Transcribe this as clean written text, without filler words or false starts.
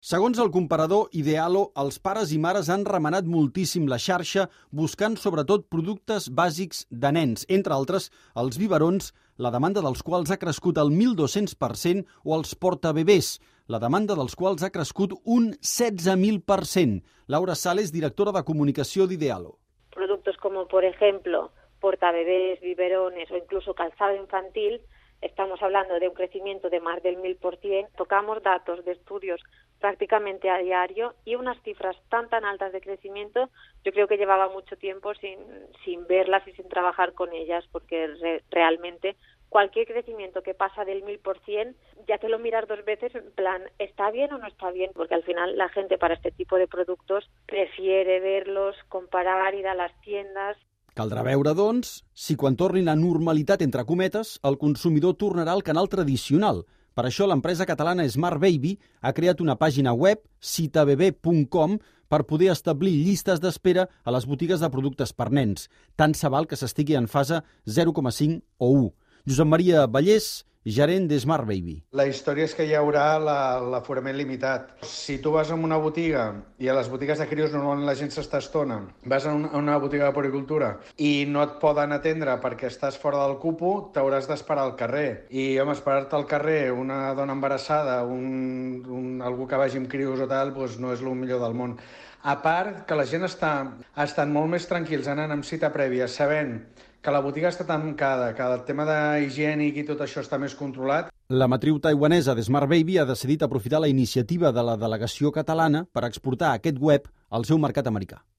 Segons el comparador Idealo, els pares i mares han remenat moltíssim la xarxa buscant sobretot productes bàsics de nens, entre altres els biberons, la demanda dels quals ha crescut al 1.200%, o els portabebès, la demanda dels quals ha crescut un 16.000%. Laura Sales, directora de comunicació d'Idealo. Productos como, por ejemplo, portabebés, biberones o incluso calzado infantil, estamos hablando de un crecimiento de más del 1.000%. Tocamos datos de estudios prácticamente a diario y unas cifras tan altas de crecimiento, yo creo que llevaba mucho tiempo sin verlas y sin trabajar con ellas, porque realmente cualquier crecimiento que pasa del 1.000%, ya te lo miras dos veces en plan, ¿está bien o no está bien? Porque al final la gente para este tipo de productos prefiere verlos, comparar, ir a las tiendas. Caldrà veure, doncs, si quan tornin a normalitat, entre cometes, el consumidor tornarà al canal tradicional. Per això l'empresa catalana Smart Baby ha creat una pàgina web, citabebé.com, per poder establir llistes d'espera a les botigues de productes per nens. Tant se val que s'estigui en fase 0,5 o 1. Josep Maria Vallès, gerent de Smart Baby. La història és que hi haurà l'aforament limitat. Si tu vas a una botiga, i a les botigues de crios normalment la gent s'estona, vas a una botiga de puericultura i no et poden atendre perquè estàs fora del cupo, t'hauràs d'esperar al carrer. I, home, esperar-te al carrer, una dona embarassada, algú que vagi amb crios o tal, doncs no és el millor del món. A part que la gent estan molt més tranquils anant amb cita prèvia, sabent que la botiga està tancada, que el tema higiènic i tot això està més controlat. La matriu taiwanesa de Smart Baby ha decidit aprofitar la iniciativa de la delegació catalana per exportar aquest web al seu mercat americà.